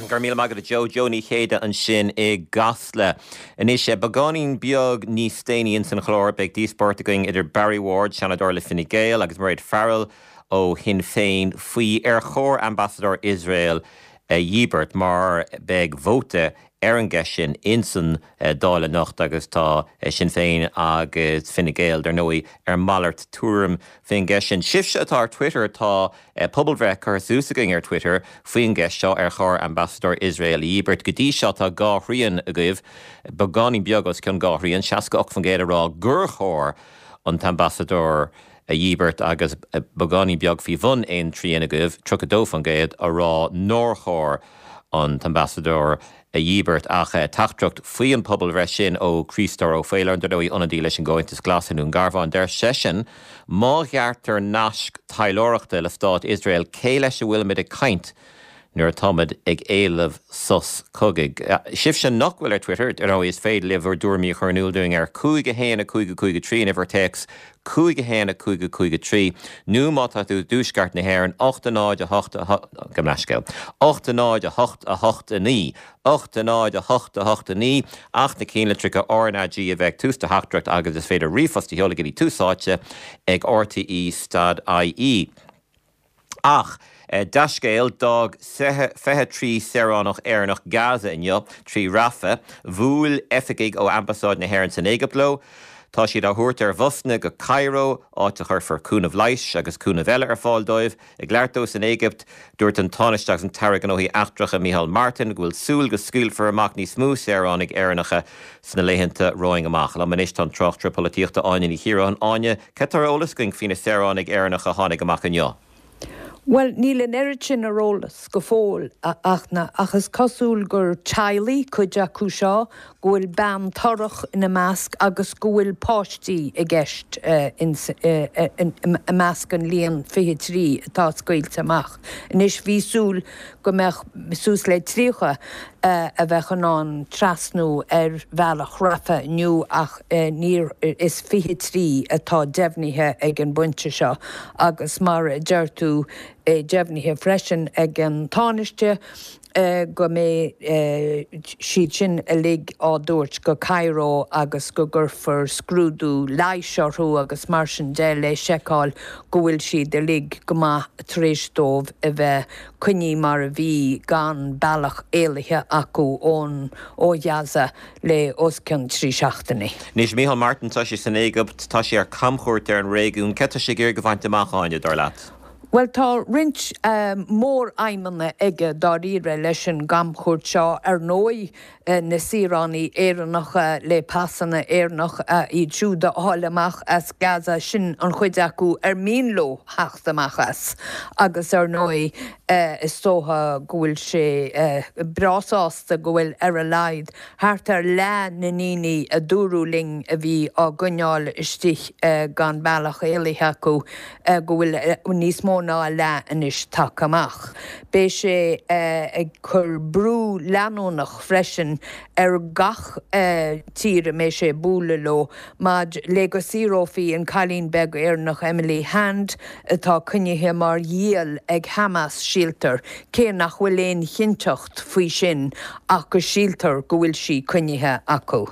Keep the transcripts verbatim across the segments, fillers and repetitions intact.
Gur míle maith agat Joe Joe Ní Chéide ansin i gCasla. Anois beagáinín beag níos déanaí insan chlár beidh díospóireacht againn idir Barry Ward, Seanadóir le Fine Gael agus Mairéad Farrell ó Shinn Féin faoi ar chóir ambasadóir Iosrael a dhíbirt mar beidh vóta ar an gceist sin insan Dáil anocht agus tá Sinn Féin agus Fine Gael dar ndóigh ar malairt tuairim faoin gceist sin. Sibhse atá ar Twitter tá pobalbhreith curtha suas againn ar Twitter faoin gceist seo ar chóir ambasadóir Iosrael a dhíbirt go dtí seo tá dhá thrian agaibh beagáinín beag os cionn dhá thrian seasca ocht faoin gcéad a rá gur chóir an t-ambasadóir a dhíbirt agus beagáinín beag faoi bhun aon trian agaibh tríocha dó faoin gcéad a rá nár chóir an t-ambasadóir a dhíbirt ach teachtaireacht faoi an pobalbhreith sin ó Chríostóir Ó Faoláin dar ndóigh ionadaí leis an gComhaontas Glas i nDún Garbhán deir seisean má ghearrtar naisc taidhleoireachta le stát Iosrael cé leis a bhfuilimid ag caint nuair atáimid ag éileamh sos cogaidh. Sibhse nach bhfuil ar Twitter ar ndóigh is féidir libh bhur dtuairimí a chur in iúl dúinn ar cúig a haon a cúig a cúig a trí an uimhir téacs cúig a haon a cúig a cúig a trí nó má tá tú i dtuaisceart na hÉireann ocht a náid a hocht a go leithscéal. ocht a náid a hocht a hocht a naoi. ocht a náid a hocht a hocht a naoi ach na ceannlitreacha RnaG a bheith tús do theachtaireacht agus is féidir ríomhphost a sheoladh go dtí Tús Áite ag RTE stad IE. Ach dea-scéal d'fhág fiche trí saoránach Éireannach Gaza inniu trí Rafah, bhuail oifigigh ó Ambasáid na hÉireann san Éigipt leo. Tá siad á thabhairt ar bhusanna go Cairo áit a chuirfear cúnamh leighis agus cúnamh eile ar fáil dóibh. Ag labhairt dó san Éigipt dúirt an Tánaiste agus an tAire Gnóthaí Eachtracha Micheál Martin go bhfuil súil go scaoilfear amach níos mó saoránaigh Éireannacha sna laethanta romhainn amach. Liom anois tá an tráchtaire polaitíochta Áine Ní Chiaráin Áine, cad tá ar eolas againn faoi na saoránaigh Éireannacha a tháinig amach inniu. Well níl an oiread sin ar eolas go fóill ach na ach is cosúil gur teaghlaigh cuid acu seo go bhfuil bean torrach ina measc agus go bhfuil páistí i gceist i measc an líon fiche trí atá scaoilte amach. Anois bhí súil go mbeadh suas le tríocha a bheith in ann trasnú ar bhealach Rafah inniu ach níor is fiche trí atá deimhnithe ag an bpointe seo agus mar a deir tú deimhnithe freisin ag an Tánaiste go mbeidh siad sin uilig á dtabhairt go Cairo agus go gcuirfear scrúdú leighis orthu agus mar sin de le seiceáil go bhfuil siad uilig go maith tar éis dóibh a bheith coinnithe mar a bhí gan bealach éalaithe acu ón ó Ghaza le os cionn trí seachtainí. Anois Micheál Martin tá sé san Éigipt tá sé ar camchuairt ar an réigiún, cad tá sé ag iarraidh a bhaint amach Áine dar leat. Well tá roinnt mór-aidhmeanna aige dáiríre leis an gcamchuairt seo ar ndóigh na saoránaigh Éireannacha le pasanna Éireannach iad siúd a fháil amach as Gaza sin an chuid acu ar mian leo theacht amach as agus ar ndóigh is dócha go bhfuil sé breá sásta go bhfuil ar a laghad thart ar leath na ndaoine a dúradh linn a bhí á gcoinneáil istigh gan bealach éalaithe acu go bhfuil níos mó ná a leath anois tagtha amach. Beidh sé ag cur brú leanúnach freisin ar gach tír a mbeidh sé ag bualadh leo maidir le go saorófaí an cailín beag Éireannach Emily Hand atá coinnithe mar ghiall ag Hamas síltear, cé nach bhfuil aon chinnteacht faoi sin ach go síltear go bhfuil sí coinnithe acu.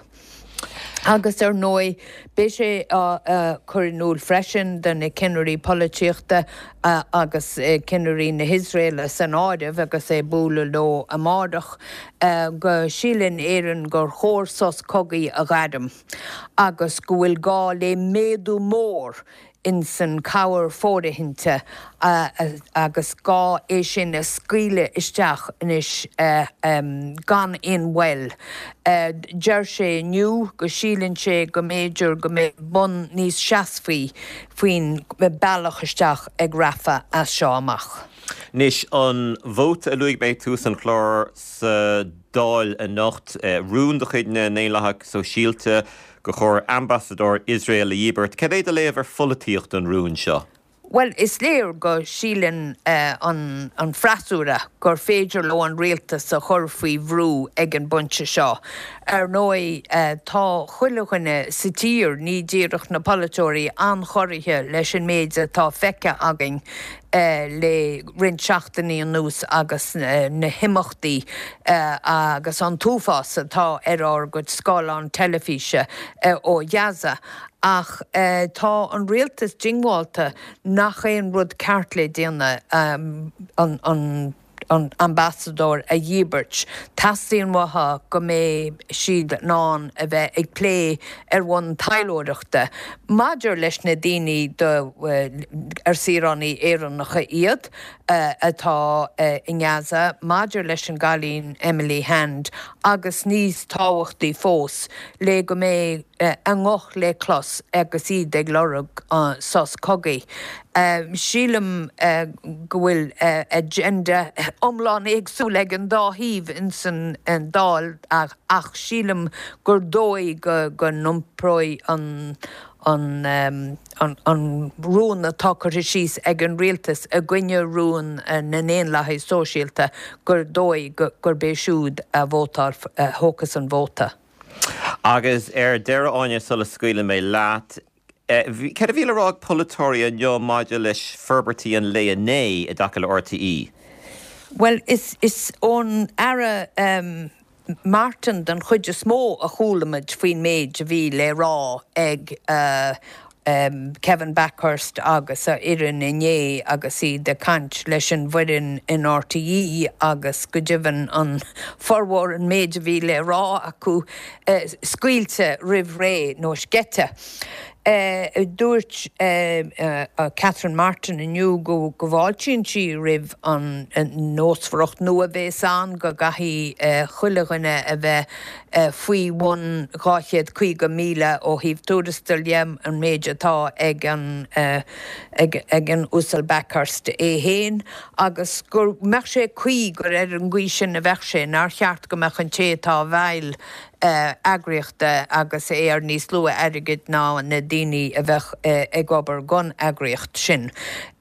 Agus ar ndóigh beidh sé á chur in iúl freisin do na cinnirí polaitíochta agus cinnirí na hIosraeile san áireamh agus é ag bualadh leo amárach go síleann Éirinn gur chóir sos cogaidh a ghairm agus go bhfuil gá le méadú mór insan cabhair fóirithinte agus gá é sin a scaoileadh isteach anois gan aon mhoill. Deir sé inniu go síleann sé go mb'fhéidir go mbeidh bun níos seasmhaí faoin bealach isteach ag Rafah as seo amach. Anois an vóta a luaigh mé ag tús an chláir sa Dáil anocht, rún de chuid na nDaonlathach Sóisialta gur chóir ambasadóir Iosrael a dhíbirt. Cad é do léamh ar pholaitíocht an rúin seo? Bhuel, is léir go síleann an freasúra gur féidir leo an rialtas a chur faoi bhrú ag an bpointe seo. Ar ndóigh, tá chuile dhuine sa tír, ní díreach na polaiteoirí, an-chorraithe leis an méid atá feicthe againn le roinnt seachtainí anuas agus na himeachtaí agus an t-uafás atá ar ár gcuid scáileán teilifíse ó Ghaza. Ach tá an rialtas diongbháilte nach é an rud ceart le déanamh an an ambasadóir a dhíbirt. Teastaíonn uathu go mbeidh siad in ann a bheith ag plé ar bhonn taidhleoireachta maidir leis na daoine ar saoránaigh Éireannacha iad atá i nGaza, maidir leis an gcailín Emily Hand agus níos tábhachtaí fós le go mbeidh a nguth le clos agus iad ag lorg sos cogaidh. Sílim go bhfuil agenda iomlán éagsúil ag an dá thaobh ins an Dáil ach sílim gur dóigh go n-iompróidh an an an rún atá curtha síos ag an rialtas i gcoinne rún na nDaonlathaithe Sóisialta gur dóigh gurb é siúd a vótáil a thógfas an vóta. Agus ar deireadh Áine sula scaoileann mé leat, céard a bhí le rá ag polaiteoirí inniu maidir leis forbairtí an lae inné i dtaca le RTÉ? Bhuel, is is ón Aire um, Martin den chuid is mó a chuala muid faoin méid a bhí le rá ag uh, um, Kevin Bakhurst agus a fhoireann inné agus iad ag caint leis an bhfoireann in RTÉ agus go deimhin an formhór an méid a bhí le rá acu uh, scaoilte roimh ré nó sceite. Uh, dúirt uh, uh, Catherine Martin inniu go go bhfáiltíonn sí roimh an nósmhaireacht nua bhéas ann go gcaithfidh chuile dhuine a bheith faoi bhun dhá chéad caoga míle ó thaobh tuarastail dhe an méid atá ag an ag, ag an Uasal Bakhurst é féin agus gur mbeadh sé cuí gur ar an gcaoi sin a bheadh sé nár cheart go mbeadh an té atá i bhfeighil eagraíochta agus é ar níos lú airgid ná na daoine a bheadh ag obair don eagraíocht sin.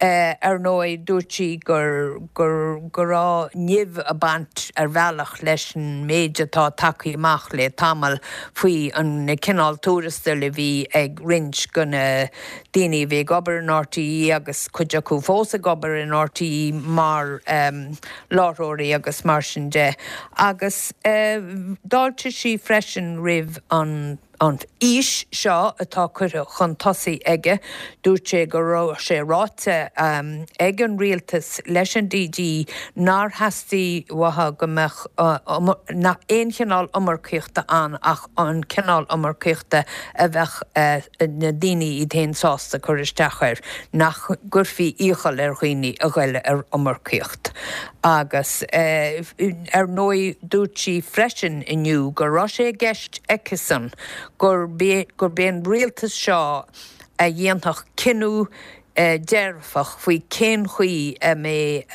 Ar ndóigh dúirt sí gur gur go raibh nimh ag baint ar bhealach leis an méid atá tagtha amach le tamall faoi an cineál tuarastail a bhí ag roinnt de na daoine a bhí ag obair in RTÉ agus cuid acu fós ag obair in RTÉ mar um, láithreoirí agus mar sin de. Agus uh, d'fháiltigh sí freisin roimh an an fhís seo atá curtha chun tosaigh aige, dúirt sé go raibh sé ráite um, ag an rialtas leis an DG nár theastaigh uathu go mbeadh uh, aon chineál iomarcaíochta ann ach an cineál iomarcaíochta a bheadh uh, na daoine iad féin sásta cur isteach air, nach gcuirfí iachall ar dhaoine a ghoil ar iomarcaíocht. Agus uh, ar ndóigh dúirt sí freisin inniu go raibh sé i gceist aici-san gurb é an rialtas seo a dhéanfadh cinneadh dearfach faoi cén chaoi a mbeidh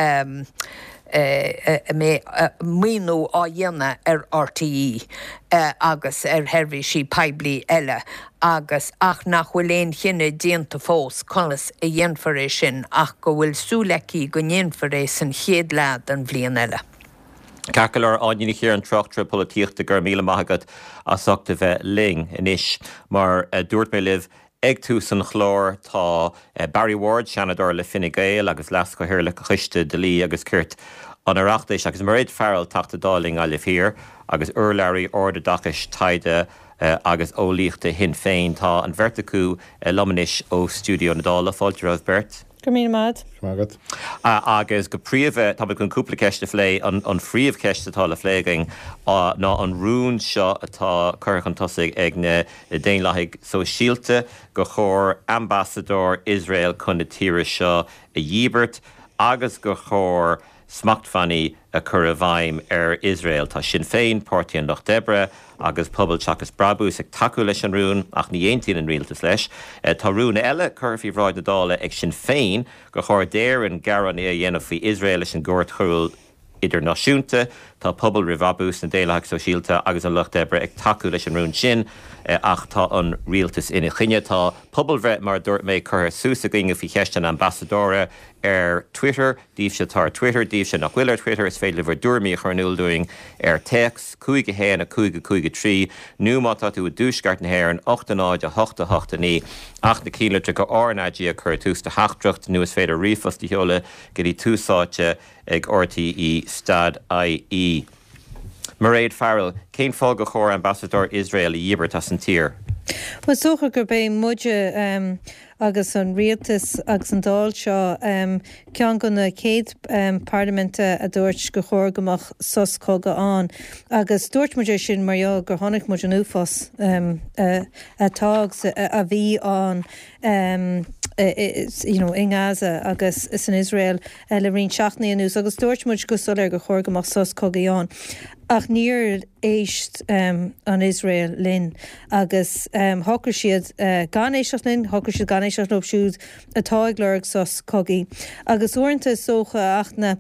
a mbeidh maoiniú á dhéanamh ar RTÉ agus ar sheirbhísí poiblí eile agus ach nach bhfuil aon chinneadh déanta fós conas a dhéanfar é sin ach go bhfuil súil aici go ndéanfar é san chéad leath den bhliain eile. Ceart go leor Áine Ní Chiaráin tráchtaire polaitíochta go raibh míle maith agat as ucht a bheith linn anois mar a dúirt mé libh ag tús an chláir tá Barry Ward, Seanadóir le Fine Gael agus Leas-Chathaoirleach Choiste Dlí agus Cirt an Oireachtais agus Mairéad Farrell Teachta Dála i nGaillimh Thiar agus urlabhraí Ardoideachais Taighde agus Eolaíochta Shinn Féin. Tá an bheirt acu liom anois ó stiúideo na Dála fáilte romhaibh beirt. Go míle maith. Agat. Agus go príomha tá chun cúpla ceist a phlé an, an phríomhcheist atá le plé againn ná an rún seo atá curtha chun tosaigh ag na Daonlathaigh Sóisialta gur chóir ambasadóir Iosrael chun na tíre seo a dhíbirt agus gur chóir smachtbhannaí a chur i bhfeidhm ar Iosrael. Tá Sinn Féin, Páirtí an Lucht Oibre agus Pobal Seachas Brabús ag tacú leis an rún ach ní aontaíonn an rialtas leis. Tá rún eile curtha faoi bhráid na Dála ag Sinn Féin gur chóir d'Éirinn gearán a dhéanamh faoi Iosrael leis an gCúirt Choiriúil idirnáisiúnta. Tá Pobal Roimh Bhrabús, na Daonlathaigh Sóisialta agus an Lucht Oibre ag tacú leis an rún sin, ach tá an rialtas ina choinne. Tá pobalbhreith, mar a dúirt mé, curtha suas againn faoi cheist an ambasadóra ar Twitter, daoibhse atá ar Twitter, daoibhse nach bhfuil ar Twitter, is féidir libh bhur dtuairimí a chur in iúl dúinn ar téacs cúig a haon a cúig a cúig a trí nó má tá tú i dtuaisceart na hÉireann ocht a náid a hocht a hocht a naoi ach na ceannlitreacha R N A G a chur i dtús do theachtaireacht nó is féidir ríomhphost a sheoladh go dtí Tús Áite ag R T E stad I E. Mairéad Farrell, cén fáth gur chóir ambasadóir Iosrael a dhíbirt as an tír? Well, is dócha gurb é muide um, agus an rialtas agus an Dáil seo um, ceann de na céad um, parlaiminte a dúirt gur chóir go mbeadh sos cogaidh ann. Agus dúirt muid é sin mar gheall gur chonaic muid an uafás um, uh, atá a bhí ann um, you know, in Gaza agus san Israel uh, le roinnt seachtainí anuas agus dúirt muid go soiléir gur chóir go mbeadh sos cogaidh ann. Ach níor éist um, an Israel linn agus um, shocraigh siad uh, gan éisteacht linn, shocraigh siad gan éisteacht leo siúd atá ag lorg sos cogaidh. Agus uaireanta is dócha ach na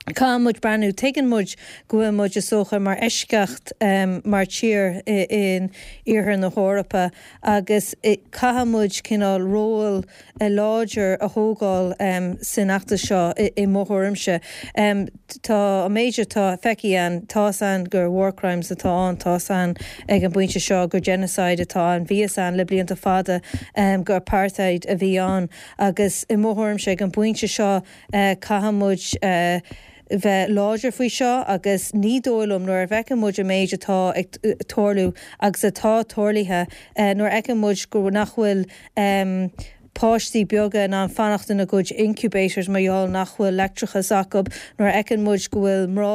Caithfidh muid breathnú tuigeann muid go bhfuil muid is dócha mar eisceacht um, mar tír in iarthar na hEorpa agus caithfidh muid cineál ról láidir a thógáil um, san fheachtas seo i, i mo thuairimse. Um, tá an méid atá feicthe ann tá an gur war crimes atá ann tá an ag an bpointe seo gur genocide atá ann bhí an le blianta fada um, gur apartheid a bhí ann agus i mo thuairimse ag an bpointe seo uh, caithfidh muid uh, bheith láidir faoi seo agus ní dóigh liom nuair a fheiceann muid an méid atá ag tarlú agus atá tarlaithe uh, nuair a fheiceann muid go nach bhfuil um, páistí beaga in ann fanacht ina gcuid incubators mar gheall nach bhfuil leictreachas acu nuair a fheiceann muid go bhfuil mná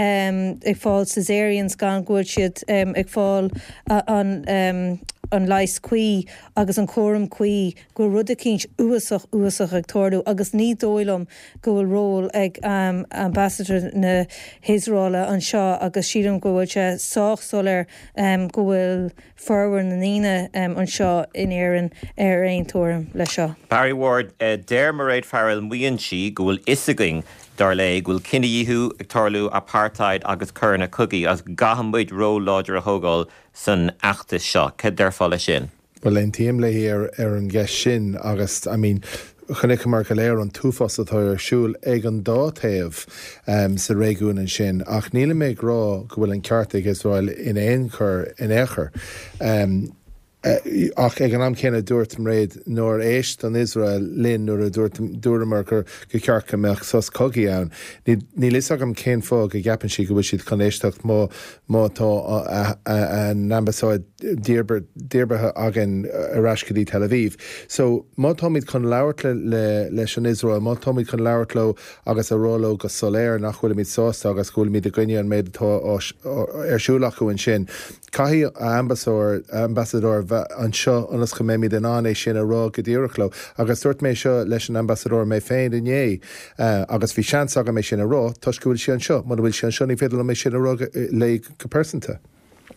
um, ag fáil caesareans gan go bhfuil siad um, ag fáil uh, an um, an leigheas cuí agus an cúram cuí go rud eicínt uafásach uafásach ag tarlú agus ní dóigh liom go bhfuil ról ag um, ambassador na hIosraeile anseo agus sílim go bhfuil sé sách soiléir um, go bhfuil formhór na ndaoine um, anseo in Éirinn ar aon tuairim le seo. Barry Ward uh, deir Mairéad Farrell maíonn sí go bhfuil fhios againn dar léi go bhfuil cinedhíothú ag tarlú apartheid agus coireanna cogaidh agus caithfidh muid ról láidir a thógáil san fheachtas seo, Cad déarfá leis sin? Well aontaím léi ar ar an gceist sin agus I mean, chonaiceamar go léir an t-uafás atá ar siúl ag an dá taobh um, sa réigiún ansin ach níl mé ag rá go bhfuil an ceart ag Israel in aon chor in aon chor. Um, ach ag an am céanna dúirt Mairéad nár éist an Israel linn nuair a dúramar gur gur cheart go mbeadh sos cogaidh ann. Níl fhios agam cén fáth go gceapann sí go bhfuil siad chun éisteacht má má tá an ambasáid díbeartha againn ar ais go dtí Tel Aviv. So má táimid chun labhairt le, leis an Israel, má táimid chun labhairt leo agus a rá leo go soiléir nach bhfuilimid sásta agus go bhfuilimid i gcoinne an méid atá ar siúl acu ansin. Caithfidh ambasadóir ambasadóir bheith anseo ionas go mbeimid in ann é sin a rá go díreach leo agus dúirt mé seo leis an ambasadóir mé féin inné uh, agus bhí seans agam é sin a rá toisc go bhfuil sí anseo, mura bhfuil sí anseo ní féidir liom é sin a rá léi go pearsanta.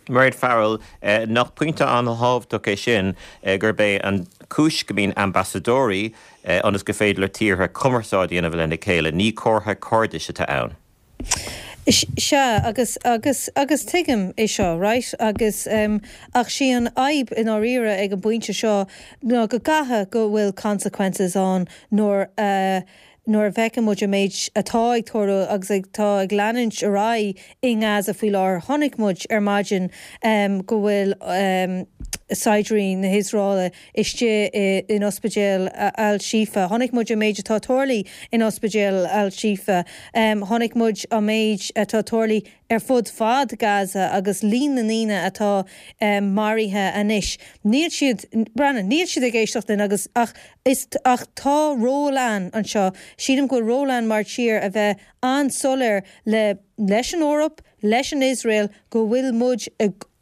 Mairéad Farrell eh, nach pointe an-thábhachtach é sin eh, gurb é an chúis go mbíonn ambasadóirí eh, ionas gur féidir le tíortha cumarsáid a dhéanamh lena chéile, ní comhartha cairdis atá ann. Sea agus agus agus tuigim é seo right agus um, ach sí an fhadhb i ndáiríre ag an bpointe seo ná go gcaithfidh go bhfuil consequences ann nuair uh, nuair a fheiceann muid an méid atá ag tarlú agus ag tá ag leanúint ar aghaidh i nGaza faoi láthair chonaic muid ar maidin um, go bhfuil um, saighdiúirí na hIosraeile istigh in ospidéal Al-Shifa. Chonaic muid an méid atá tarlaithe in ospidéal Al-Shifa. Um, chonaic muid an méid atá tarlaithe ar fud fad Gaza agus líon na ndaoine atá um, maraithe anois. Níl siad breathnú, níl siad ag éisteacht linn agus ach is ach tá ról ann anseo. Sílim go bhfuil ról ann mar tír a bheith an-soiléir le leis an Eoraip, leis an Israel go bhfuil muid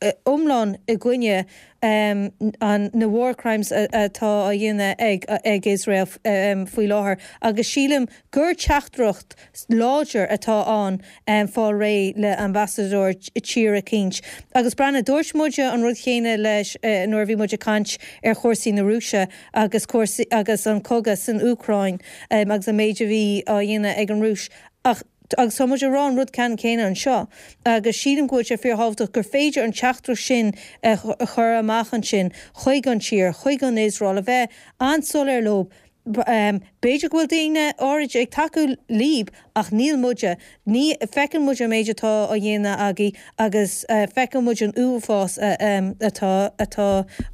iomlán i gcoinne um, an na war crimes atá á dhéanamh ag ag Israel um, faoi láthair agus sílim gur teachtaireacht láidir atá ann um, fáil réidh le ambasadóir tír eicínt. Agus breathnaigh dúirt muid an rud céanna leis uh, nuair bhí muid ag caint ar chúrsaí na Rúise agus cúrsaí agus an cogadh san Úcráin um, agus an méid a bhí á dhéanamh ag an Rúis ach Agus tá muid ag rá an rud ceannann céanna anseo agus sílim go bhfuil sé fíorthábhachtach gur féidir an teachtaireacht sin a chur amach ansin chuig an tír, chuig an Iosrael, a bheith an-soiléir leo. B'fhéidir go bhfuil daoine áirid ag tacú libh ach níl muide. Ní, feiceann muid an méid atá á dhéanamh agaibh agus feiceann muid an uafás atá atá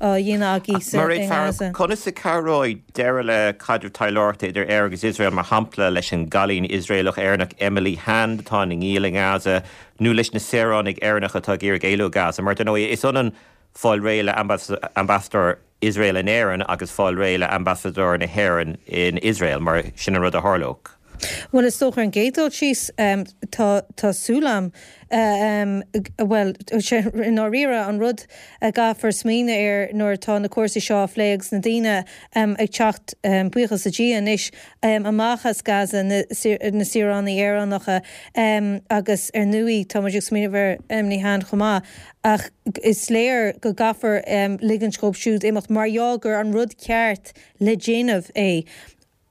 á dhéanamh agaibh sa Mairéad Farrell, conas a chabhróidh deireadh le caidreamh taidhleoireachta idir Éire agus Iosrael, mar shampla, leis an gcailín Iosraelach-Éireannach Emily Hand atá ina ngiall i nGaza nó leis na saoránaigh Éireannacha atá ag iarraidh éalú ó Gaza? Mar dar ndóigh, is ionann fáil réidh le ambasadóir Iosrael in Éirinn agus fáil réidh le ambasadóir na hÉireann in Iosrael, mar sin an rud a tharlódh. Bhuel, is dócha ar an gcéad dul síos, tá tá súil agam, bhuel, i ndáiríre, an rud a gcaithfear smaoineamh air nuair atá na cúrsaí seo á phlé agus na daoine ag teacht, buíochas le Dia anois, amach as Gaza, na saoránaigh Éireannacha agus ar ndóigh tá muid ag smaoineamh ar Emily Hand chomh maith, ach is léir go gcaithfear ligint dhóibh siúd imeacht mar gheall gur an rud ceart le déanamh é.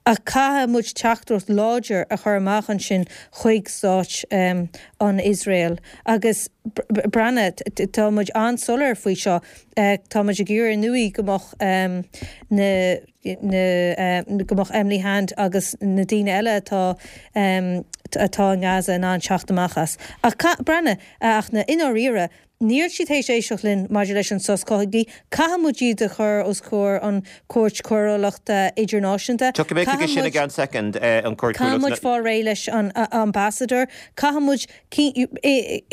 Ach caithfidh muid teachtaireacht láidir a chur amach ansin chuig stáit an Iosrael. Agus breathnaigh, tá muid an-soiléir faoi seo, tá muid ag iarraidh ar ndóigh go mbeadh na, na, go mbeadh Emily Hand agus na daoine eile atá, atá i nGaza in ann teacht amach as. Ach breathnaigh, ach na, i ndáiríre, Níl siad théis éisteacht linn maidir leis an sos cogaidh. Caithfidh muid iad a chur os comhair an Chúirt Choiriúlachta Idirnáisiúnta. Tiocfaidh mé chuige sin i gceann soicind, an Chúirt Caithfidh muid Choiriúlachta. fáil réidh leis an Ambassador. Caithfidh muid,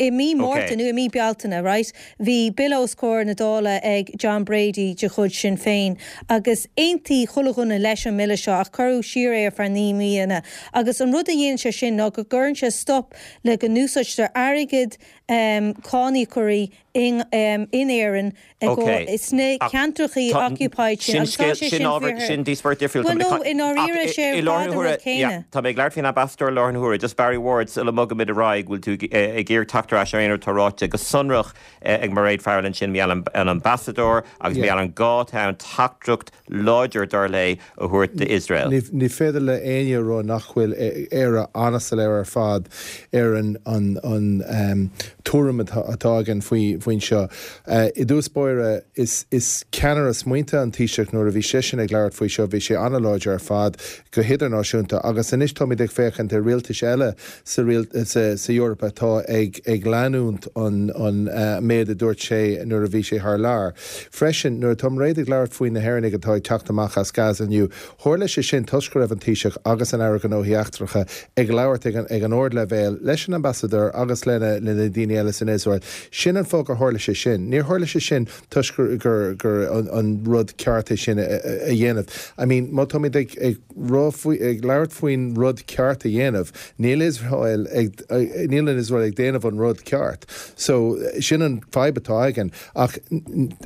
i mí Márta nó i mí Bealtaine, right, bhí bille os comhair na Dála ag John Brady de chuid Sinn Féin agus aontaigh chuile dhuine leis an mbille seo ach cuireadh siar é ar feadh naoi míonna. Agus an rud a dhéanann sé sin ná go gcuireann sé stop le go n-úsáidtear airgead cáiníocóirí in Éirinn sna ceantrachaí occupied sin agus tá sé sin fíor. Sin díospóireacht difriúil. Bhuel no, i ndáiríre sé ar fad an rud céanna. Tá mé ag labhairt faoin ambasadóir i láthair na huaire. Just Barry Ward, sula mbogaimid ar aghaidh, bhfuil tú ag iarraidh teacht ar ais ar aon rud atá ráite go sonrach ag Mairéad Farrell ansin, mar gheall ar an ambasadóir agus mar gheall ar an gá atá ann teachtaireacht láidir, dar léi, a thabhairt d'Iosrael. Ní féidir le éinne a rá nach bhfuil Éire an-soiléir ar fad ar an tuairim atá againn faoin seo. I dtús báire, is ceannaire smaointe an Taoiseach nuair a bhí seisean ag labhairt faoi seo, bhí sé an-láidir ar fad go hidirnáisiúnta agus anois táimid ag féachaint ar rialtais eile sa Eoraip atá ag leanúint an méid a dúirt sé nuair a bhí sé thar lear. Freisin, nuair atá Mairéad ag labhairt faoi na hÉireannaigh atá ag teacht amach as Gaza inniu, tharla sé sin toisc go raibh an Taoiseach agus an Aire Gnóthaí Eachtracha ag labhairt ag an ardleibhéal leis an ambasadóir agus le na daoine eile san Iosrael. Sin an fáth gur tharla sé sin. Níor tharla sé sin toisc gur gur an rud ceart é sin a dhéanamh. I mean, má táimid ag ag rá faoi ag labhairt faoin rud ceart a dhéanamh, níl Iosrael ag níl an Iosrael ag déanamh an rud ceart. So sin an fadhb atá againn. Ach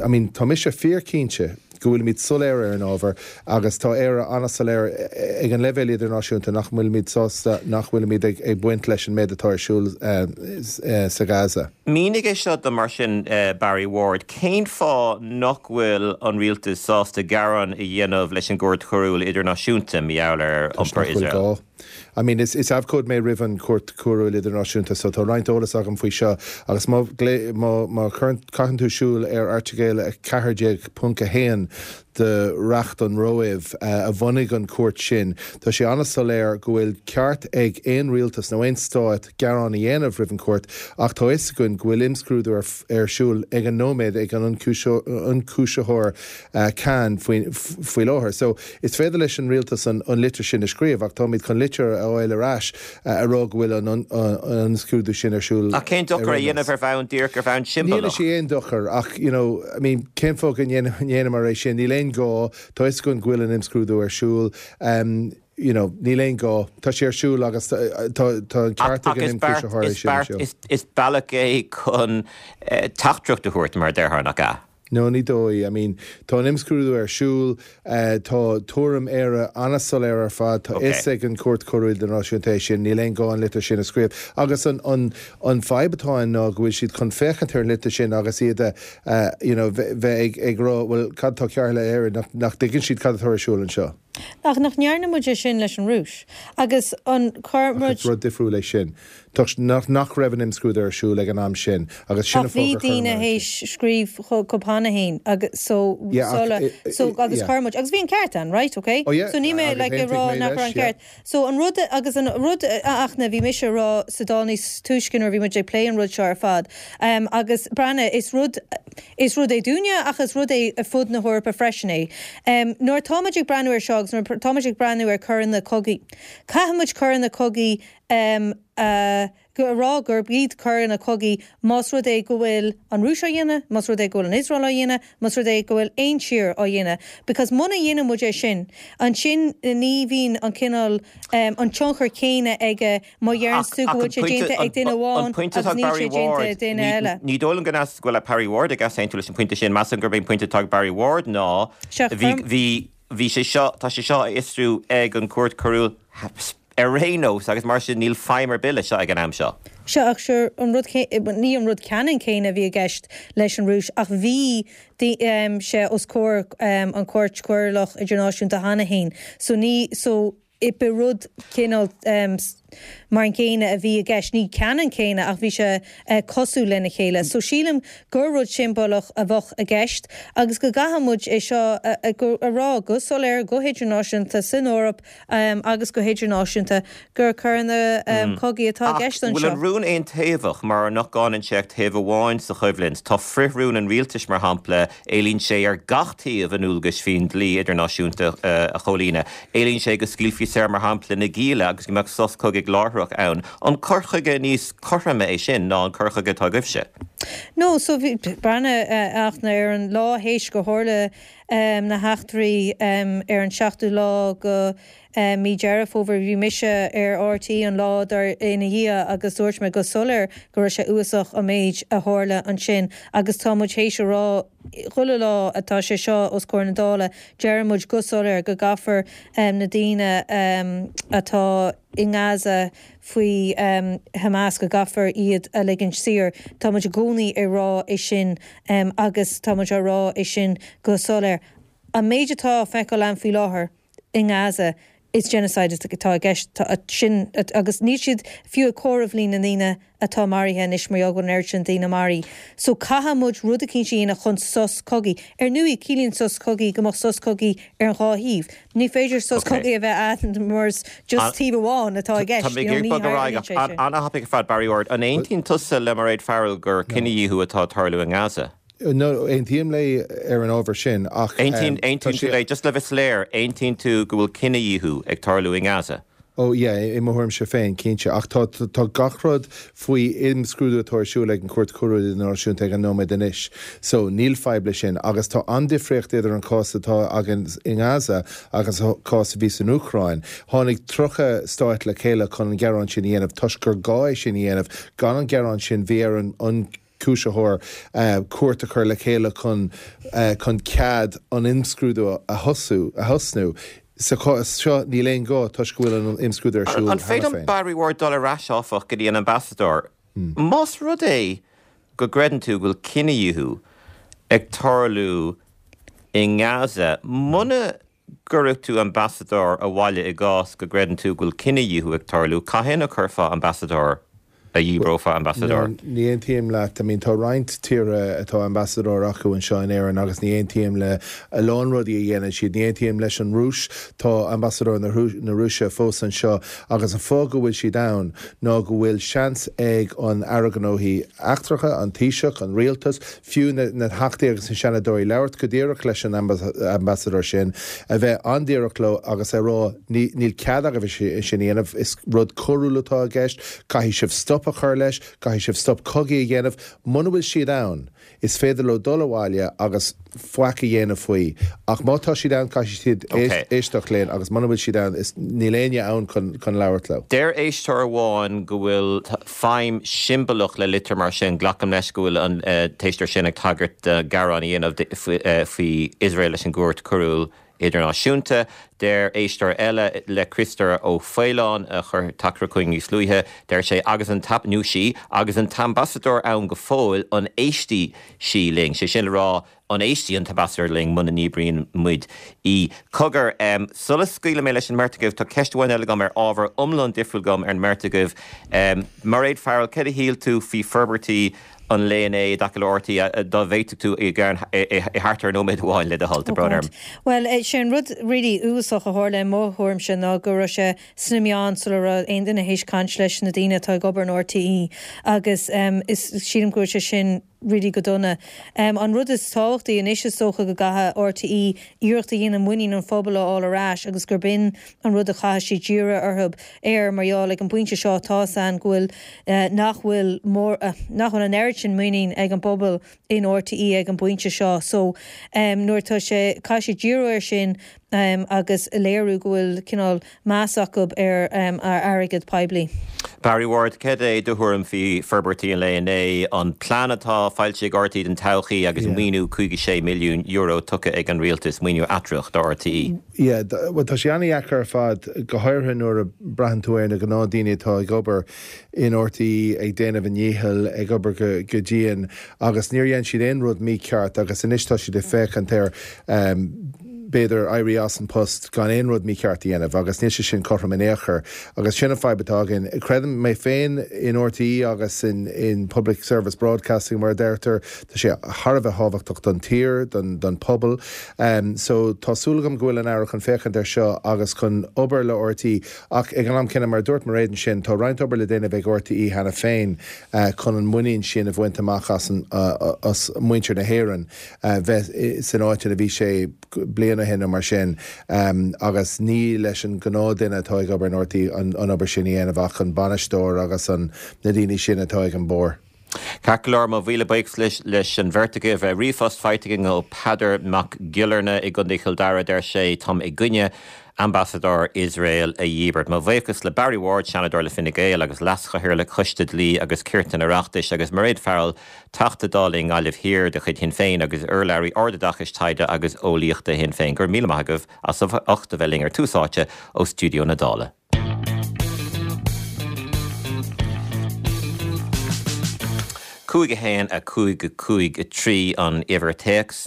I mean, tá mise fíorchinnte go bhfuilimid soiléir ar an ábhar agus tá Éire an-soiléir ag an leibhéal idirnáisiúnta nach bhfuilimid sásta, nach bhfuilimid ag baint leis an méid atá ar siúl sa Gaza. Mínigh é seo dom mar sin, Barry Ward, cén fáth nach bhfuil an rialtas sásta gearán a dhéanamh leis an gCúirt Choiriúil Idirnáisiúnta mar gheall ar Toisc iompar nach bhfuil Iosrael? gá. I mean, is is abhcóide mé roimh an Chúirt Choiriúil Idirnáisiúnta so tá roinnt eolas agam faoi seo agus má má má chuireann caitheann tú súil ar Airteagal a ceathair déag ponc a haon de Reacht an Róimh a bhunaigh an chúirt sin, tá sé an-soiléir go bhfuil ceart ag aon rialtas nó aon stát gearán a dhéanamh roimh an chúirt ach tá fhios againn go bhfuil imscrúdú ar ar siúl ag an nóiméad ag an ionchúisitheoir Khan faoi faoi láthair. So is féidir leis an rialtas an an litir sin a scríobh ach táimid chun litir a fháil ar ais a rá go bhfuil an imscrúdú sin ar siúl Ach cén ar dochar a aon dhéanamh nós. ar bhonn díreach ar bhonn Ní siombalach? sé aon dochar ach you know, I mean, cén fáth go ndéanamar é sin, níl aon gá, tá fhios againn go bhfuil an imscrúdú ar siúl, um, you know, níl aon gá, tá sé ar siúl agus tá tá an Ach ceart ag ach an is beart ionchúisitheoir é is sin ar beart siúl. is is bealach é chun eh, teachtaireacht a thabhairt mar a déarfá nach ea? No, ní dóigh. I mean, tá an imscrúdú ar siúl, tá tuairim Éire an-soiléir ar fad, tá Okay. fhios ag an Chúirt Choiriúil Idirnáisiúnta é sin, níl aon gá an litir sin a scríobh. Agus an, an, an fadhb atá ann ná go bhfuil siad chun féachaint ar an litir sin agus iad a, uh, you know, bheith ag, ag rá, well, cad tá cearr le Éirinn, nach, nach dtuigeann siad cad atá ar siúl anseo. Ach nach ndearna muid é sin leis an Rúis. Agus an chuir muid. Ach is rud difriúil é sin. Toisc nach nach raibh an imscrúdú ar siúl ag an am sin agus sin Ach bhí daoine théis scríobh chucu cheana féin agus so sula so agus chuir muid agus bhí an ceart ann, right, okay? Oh yeah, So ní mé agus like ag aontaigh rá mé nach raibh leis, an yeah. ceart. So an rud agus an rud a Fhachtna bhí mise a rá sa Dáil níos túisce nuair a bhí muid ag plé an rud seo ar fad. Um, agus breathnaigh is rud is rud é dúinne ach is rud é ar fud na hEorpa freisin é. Um, nuair táimid ag breathnú ar seo agus nuair táimid ag breathnú ar coireanna cogaidh. Caithfimid coireanna cogaidh um, uh, go rá gurb iad coireanna cogaidh más rud é go bhfuil an Rúis á dhéanamh, más rud é go bhfuil an Iosrael á dhéanamh, más rud é go bhfuil aon tír á dhéanamh. Because muna dhéanann muid é sin, ansin ní bhíonn an cineál um, an tionchar céanna aige má deireann tú go bhfuil sé déanta ag duine amháin agus níl sé déanta ag duine eile. Ní dóigh liom go go bhfuil Barry Ward ag easaontú leis an pointe sin measaim gurb é an pointe atá ag Barry Ward ná bhí bhí bhí sé seo tá sé seo á fhiosrú ag an Cúirt Choiriúil ar aon nós agus mar sin níl feidhm ar bith leis seo ag an am seo. Seo ach sure an rud ní an rud ceannann céanna a bhí i gceist leis an Rúis ach bhí um, sé os comhair um, an Cúirt Choiriúil Idirnáisiúnta cheana féin. So ní so i be rud cineál um, mar an céanna a bhí i gceist ní ceannann céanna ach bhí sé uh, cosúil lena chéile. So sílim gur rud siombalach a bheadh i gceist agus go gcaithfimid é seo a, a, a rá go soiléir go hidirnáisiúnta san Eoraip um, agus go hidirnáisiúnta gur coireanna um, mm. cogaidh atá i gceist anseo. Bhfuil an rún aontaobhach mar nach gcáineann sé ach taobh amháin sa choimhlint. Tá frithrún an rialtais mar shampla éilíonn sé ar gach taobh a ndualgais faoin dlí idirnáisiúnta uh, a chomhlíonadh. Éilíonn sé go scaoilfí saor mar shampla na gialla agus go mbeadh sos cogaidh láithreach ann. An cur chuige níos cothroime é sin ná an cur chuige atá agaibhse. No, so bhí breathnaigh uh, Fhachtna ar an lá théis go tharla um, na heachtraí um, ar an seachtú lá go um, mí Deireadh Fómhair bhí mise ar RTÉ an lá dar ina dhiaidh agus dúirt mé go soiléir go raibh sé uafásach an méid a tharla ansin agus tá muid théis a rá chuile lá atá sé seo os comhair na Dála deir muid go soiléir go gcaithfear um, na daoine um, atá i nGaza faoi um, Hamas go gcaithfear iad a ligean saor. Tá muid i gcónaí ag rá é sin um, agus tá muid á rá é sin go soiléir. An méid atá feiceáil ann faoi láthair i nGaza is genocide atá i gceist sin agus níl siad fiú ag comhaireamh líon na ndaoine atá maraithe anois mar gheall an oiread sin daoine maraithe. So caithfidh muid rud eicínt a dhéanamh chun sos cogaidh. Ar ndóigh ciallaíonn sos cogaidh go mbeadh sos cogaidh ar an dhá thaobh. Ní féidir sos cogaidh a bheith ann mar just taobh amháin atá i gceist. An-thapaidh fad Barry Ward, an aontaíonn tusa le Mairéad Farrell gur cinedhíothú atá ag tarlú i nGaza? No, aontaím léi ar an ábhar sin ach Aontaíonn tú léi just le bheith soiléir, aontaíonn tú go bhfuil cinedhíothú ag tarlú i nGaza. Ó yeah, i mo thuairimse féin cinnte ach tá tá gach rud faoi imscrúdú atá ar siúl ag an Cúirt Choiriúil Idirnáisiúnta ag an nóiméad anois. So níl fadhb leis sin agus tá an-difríocht idir an cás atá againn i nGaza agus an cás a bhí san Úcráin. Tháinig tríocha stát le chéile chun an gearán sin a dhéanamh toisc gur gá é sin a dhéanamh gan an gearán sin bhí ar an an cúisitheoir uh, cúirt a chur le chéile chun uh, chun cead an imscrúdú a thosú a thosnú. Sa chás seo níl aon gá toisc go bhfuil an imscrúdú ar siúl. An féidir Barry Ward dul ar ais áfach go dtí an ambasadóir. Hmm. Más rud é go gcreideann tú go bhfuil cinedhíothú ag tarlú i nGaza, muna gcuirfeadh tú ambasadóir abhaile i gcás go gcreideann tú go bhfuil cinedhíothú ag tarlú, cathain a chuirfeá ambasadóir a dhíbreofá ambasadóir. Ní aontaím leat, I mean tá roinnt tíortha atá ambasadóir acu anseo in Éirinn agus ní aontaím le a lán rudaí a dhéanann siad, ní aontaím leis an Rúis tá ambasadóir na Rúise fós anseo agus an fáth go bhfuil siad ann ná go bhfuil seans ag an Aire Gnóthaí Eachtracha, an Taoiseach, an rialtas, fiú na, na Teachtaí agus na Seanadóirí labhairt go díreach leis an ambasadóir sin a bheith an-díreach leo agus a rá níl cead agaibh sin a dhéanamh is rud coiriúil atá i gceist, caithfidh sibh stop a chur leis, caithfidh sibh stop cogaidh a dhéanamh, muna bhfuil siad ann, is féidir leo dul abhaile agus faic a dhéanamh faoi. Ach má tá siad ann caithfidh siad éisteacht linn agus muna bhfuil siad ann is níl éinne ann chun chun labhairt leo. Deir éisteoir amháin go bhfuil feidhm siombalach le litir mar sin, glacaim leis go bhfuil an t-éisteoir sin ag tagairt do ghearán a dhéanamh faoi Iosrael leis an gCúirt Choiriúil Idirnáisiúnta. Deir éisteoir eile le Criostóir Ó Faoláin a chuir teachtaireacht chugainn níos luaithe, deir sé agus an tap nó sí agus an t-ambasadóir ann go fóill an éistfidh sí linn, sé sin le rá an éistfidh an t-ambasadóir linn muna ndíbríonn muid í. Cogar, sula scaoilfidh mé leis an mbeirt agaibh, tá ceist amháin eile agam ar ábhar iomlán difriúil agam ar an mbeirt agaibh. Mairéad Farrell, céard a shíl tú faoi forbairtí an lae inné i dtaca le RTÉ, dá bhféadfadh tú i thart ar nóiméad amháin le do thoil, tá brón orm. Bhuel, sé an rud really uafásach a tharla i mo thuairimse ná go raibh sé sna meáin sula raibh aon duine théis caint leis na daoine atá ag obair in RTÉ agus is sílim go bhfuil sé sin really go dona. An rud is tábhachtaí anois is dócha go gcaithfidh RTÉ iarracht a dhéanamh muinín an phobail a fháil ar ais agus gurb in an rud a chaithfidh siad díriú orthu air mar gheall ag an bpointe seo tá's againn go bhfuil nach bhfuil mór nach bhfuil an oiread sin muinín ag an bpobal in RTÉ ag an bpointe seo so nuair atá sé caithfidh siad díriú air sin agus léiriú go bhfuil cineál meas acu ar airgead poiblí. Barry Ward, céard é do thuairim faoi forbairtí an lae inné, an plean atá foilsithe ag RTÉ don todhchaí agus maoiniú caoga sé milliún euro tugtha ag an rialtas, maoiniú eatramhach do RTÉ? Yeah, bhuel tá sé an-dheacair ar fad, go háirithe nuair a braitheann tú ar na gnáthdaoine atá ag obair in RTÉ ag déanamh a ndícheall, ag obair go go dian agus níor dhein siad aon rud mícheart agus anois tá siad ag féachaint ar b'fhéidir éirí as an post gan aon rud mícheart a dhéanamh agus níl sé sin cothrom in aon chor agus sin an fadhb atá againn. Creidim mé féin in RTÉ agus in, in Public Service Broadcasting mar a deirtear, tá sé thar a bheith thábhachtach don tír, don, don pobal. Um, so tá súil agam go bhfuil an Aire chun féachaint ar seo agus chun obair le RTÉ ach ag an am céanna mar dúirt Mairéad ansin, tá roinnt obair le déanamh ag RTÉ cheana féin uh, chun an muinín sin a bhaint amach as, an, uh, as muintir na hÉireann uh, bheith san áit a bhí sé bliain ó shin nó mar sin um, agus ní leis an gnáthdhuine atá ag obair in RTÉ an, an obair sin a dhéanamh ach an bainisteoir agus an na daoine sin atá ag an bord. Ceart go leor mo mhíle buíochas leis, leis an bheirt agaibh ríomhphost faighte againn ó Peadar Mac Giollarnáth i gContae Chill Dara deir sé táim i gcoinne ambasadóir Iosrael a dhíbirt. Mo bhuíochas le Barry Ward, Seanadóir le Fine Gael agus Leaschathaoirleach Choiste Dlí agus Cirt an Oireachtais agus Mairéad Farrell, Teachta Dála i nGaillimh Thiar de chuid Shinn Féin agus urlabhraí Ardoideachais Taighde agus Eolaíochta Shinn Féin. Go raibh míle maith agaibh as ucht a bheith linn ar Tús Áite ó Stiúideo na Dála. Cúig a haon a cúig a cúig a trí an uimhir téacs.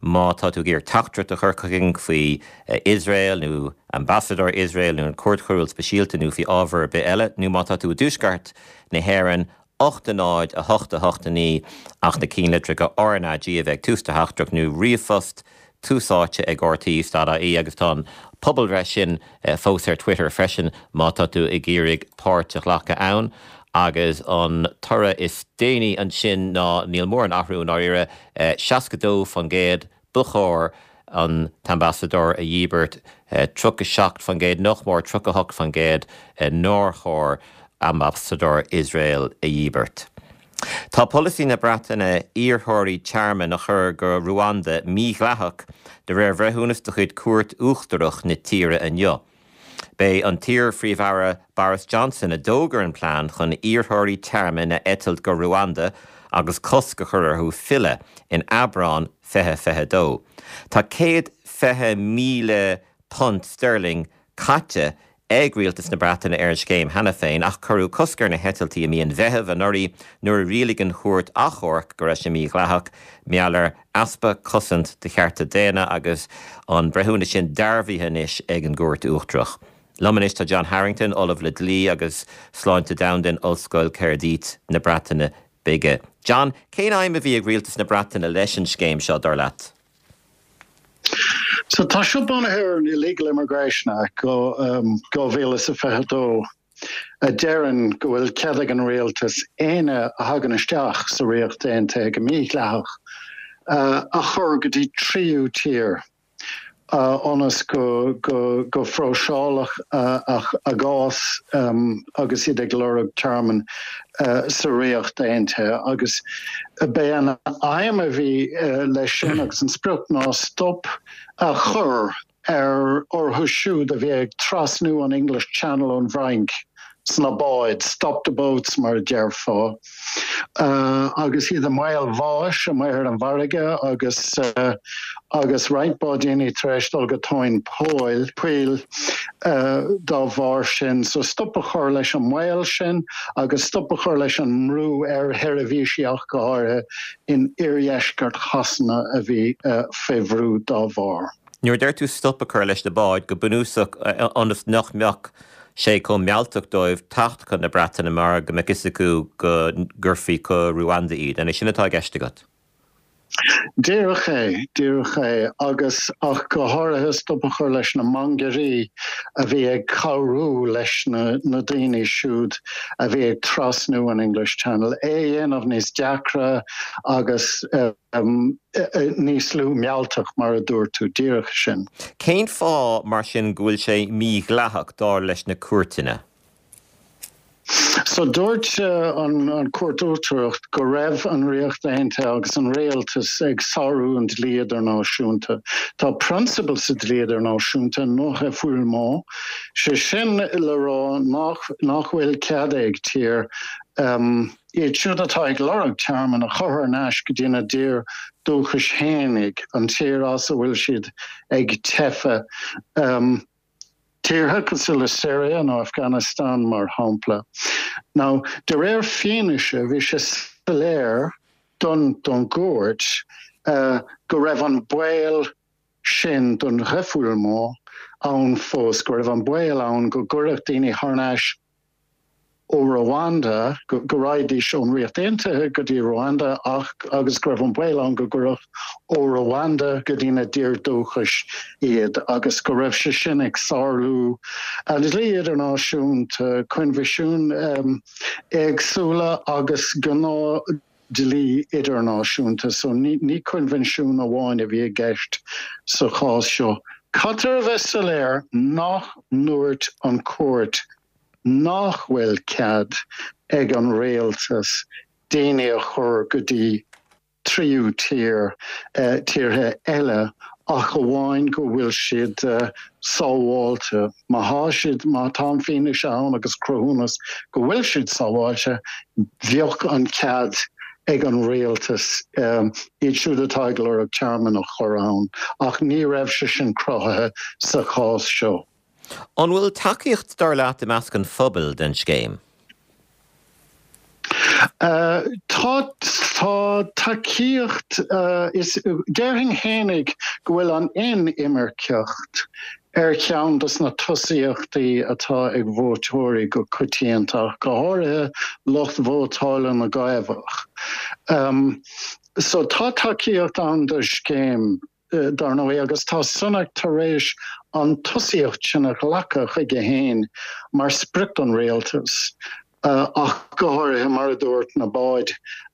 Má tá tú ag iarraidh teachtaireacht a chur chugainn faoi Iosrael nó ambasadóir Iosrael nó an Chúirt Choiriúil Speisialta nó faoi ábhar ar bith eile, nó má tá tú i dtuaisceart na hÉireann, ocht a náid a hocht a hocht a naoi ach na ceannlitreacha RnaG a bheith ag tús do theachtaireacht nó ríomhphost tús áite ag RTÉ dot ie agus tá an pobalbhreith sin fós ar Twitter freisin má tá tú ag iarraidh páirt a ghlacadh ann. Agus an toradh is déanaí ansin ná níl mórán athrú i ndáiríre, seasca dó faoin gcéad ba chóir an t-ambasadóir a dhíbirt, tríocha seacht faoin gcéad, nach mór tríocha hocht faoin gcéad nár chóir ambasadóir Iosrael a dhíbirt. Tá polasaí na Breataine iarrthóirí tearmainn a chur go Ruanda mídhleathach de réir bhreithiúnas de chuid Cúirt Uachtarach na tíre inniu. B'é an t-iar-Phríomh-Aire Boris Johnson a d'fhógair an plean chun iarrthóirí tearmainn a eitilt go Ruanda agus cosc a chur orthu filleadh in Aibreán fiche fiche dó. Tá céad fiche míle punt sterling caite ag rialtas na Breataine ar an scéim cheana féin ach cuireadh cosc ar na heitiltí i mí an Mheithimh anuraidh nuair a rialaigh an chúirt achomhairc go raibh sé mídhleathach mar gheall ar easpa cosaint do chearta daonna agus an breithiúnas sin dearbhaithe anois ag an gCúirt Uachtarach. Liom anois tá John Harrington, Ollamh le Dlí agus Sláinte Domhanda in Ollscoil Caerdydd na Breataine Bige. John, cén aidhm a bhí ag rialtas na Breataine leis an scéim seo, dar leat? So tá seo bunaithe ar an Illegal Immigration Act dhá mhíle is a fiche dó a deireann go bhfuil cead ag an rialtas éinne a thagann isteach sa Ríocht Aontaithe go mídhleathach a chur go dtí tríú tír ionas go go phróiseálfadh a gcás agus iad ag lorg tearmann sa Ríocht Aontaithe agus b'é an aidhm a bhí leis sin agus an sprioc ná stop a chur ar orthu siúd a bhí ag trasnú an English Channel ón bhFrainc sna báid, stop the boats mar a déarfá, agus iad i mbaol bháis amuigh ar an bhfarraige agus agus roinnt báidíní tar éis dul go tóin poill, poill dá bharr sin. So stop a chur leis an mbaol sin agus stop a chur leis an mbrú ar sheirbhísí ach go háirithe in oirdheisceart Shasana a bhí faoi bhrú dá bharr. Nuair a deir tú stop a chur leis na báid, go bunúsach ionas nach mbeadh sé chomh mealltach dóibh teacht chun na Breataine mar go mbeadh fhios acu go gcuirfí go Ruanda iad. An é sin atá i gceist agat? Díreach é, díreach é, agus ach go háirithe stop a chur leis na mangairí a bhí ag cabhrú leis na na daoine siúd a bhí ag trasnú an English Channel, é a dhéanamh níos deacra agus níos lú mealltach, mar a dúirt tú, díreach sin. Cén fáth, mar sin, go bhfuil sé mídhleathach, dar leis na cúirteanna? So dúirt an Chúirt Uachtarach go raibh an Ríocht Aontaithe agus an rialtas ag sárú an dlí idirnáisiúnta. Tá prionsabal sa dlí idirnáisiúnta, non-refoulement, sé sin le rá nach nach bhfuil cead ag tír iad siúd atá ag lorg tearmann a chur thar n-ais go dtí a dtír dúchais fhéinig, an tír as a bhfuil siad ag teitheadh, tíortha cosúil le Siria nó Afghanistan mar shampla. Now, de réir fianaise, bhí sé soiléir don don gcúirt go raibh an baol sin don refoulement ann fós, go raibh an baol ann go gcuirfeadh daoine thar n-ais ó Rwanda, go raghaidís ón Ríocht Aontaithe go dtí Rwanda ach agus go raibh an baol ann go gcuirfeadh ó Rwanda go dtí na dtír dúchais iad agus go raibh sé sin ag sárú an dlí idirnáisiúnta, coinbhisiúin éagsúla agus gnáth dlí idirnáisiúnta. So ní ní coinbhinsiún amháin a bhí i gceist sa chás seo. Caithfear a bheith soiléir nach ndúirt an chúirt nach bhfuil cead ag an rialtas daoine a chur go dtí tríú tír, tíortha eile ach amháin go bhfuil siad sábháilte. Má thá siad, má tá an fianaise ann agus cruthúnas go bhfuil siad sábháilte, bheadh an cead ag an rialtas iad siúd atá ag lorg tearmann a chur ann ach ní raibh sé sin cruthaithe sa chás seo. An bhfuil tacaíocht, dar leat, i measc an phobail den scéim? Tá, tá tacaíocht, is, déarfainn fhéinig go bhfuil an inimirceacht ar cheann dos na tosaíochtaí atá ag vótóirí go coitianta, ach go háirithe lucht vótála na gCaomhach. So tá tacaíocht ann don scéim. dar ndóigh, agus tá Sunak tar éis an tosaíocht sin a ghlacadh chuige féin mar sprioc don rialtas, ach go háirithe, mar a dúirt, na báid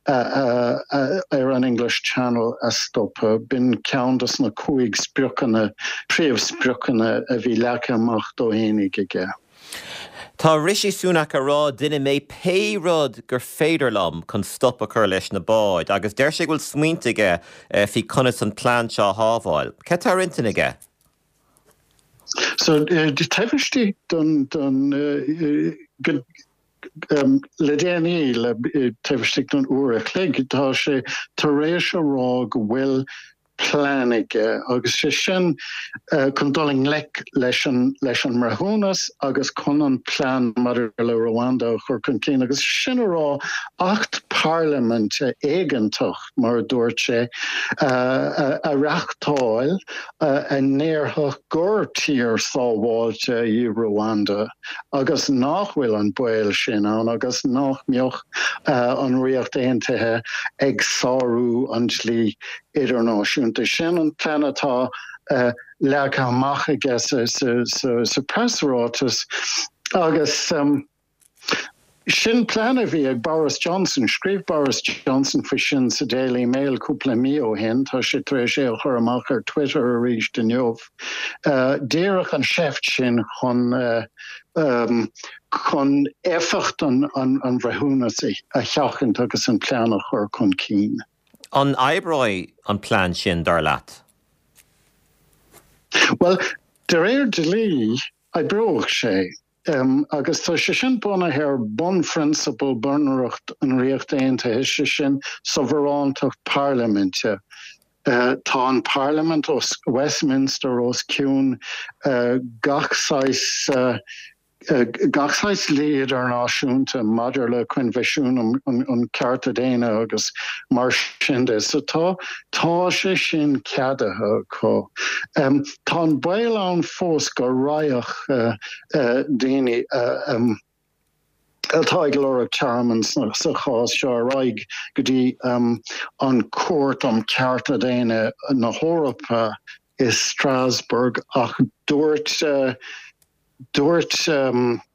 ar an English Channel a stopadh. B'in ceann dos na cúig spriocanna, príomhspriocanna a bhí leagtha amach dó fhéinig aige. Tá Rishi Sunak ag rá déanfaidh mé pé rud gur féidir liom chun stop a chur leis na báid agus deir sé go bhfuil smaointe aige faoi conas an plean seo a shábháil. Cad tá ar intinn aige? So, taobh istigh don, don, go, le déanaí, le taobh istigh don uair a chloig, tá sé tar éis a rá go bhfuil plean aige agus sé sin chun dul i ngleic leis an leis an mbreithiúnas agus chun an plean maidir le Rwanda a chur chun cinn agus sin a rá acht parlaiminte éigeantach mar a dúirt sé a reachtáil a ndéarfadh gur tír sábháilte í Rwanda agus nach bhfuil an baol sin ann agus nach mbeadh an Ríocht Aontaithe ag sárú an dlí idirnáisiúnta. Sin an plean atá leagtha amach aige sa preasráiteas agus sin plean a bhí ag Boris Johnson. Scríobh Boris Johnson faoi sin sa Daily Mail cúpla mí ó shin, tá sé tar éis é a chur amach ar Twitter arís inniu. Díreach an seift sin chun chun éifeacht an bhreithiúnas a sheachaint agus an plean a chur chun cinn. An oibreoidh an plean sin, dar leat? Bhuel, de réir dlí, oibreoidh sé. Agus tá sé sin bunaithe ar bunphrionsabal Bunreacht an Ríocht Aontaithe, sé sin sobarántacht parlaiminte. Tá an Parlaimint os Westminster os cionn gach saghas gach saghas dlí idirnáisiúnta maidir le Coinbhisiún um Chearta Daonna agus mar sin de. So tá tá sé sin ceadaithe acu. Tá an baol ann fós go raghadh daoine atá ag lorg tearmann sa chás seo ar aghaidh go dtí an Chúirt um Chearta Daonna na hEorpa i Strasbourg ach dúirt Dúirt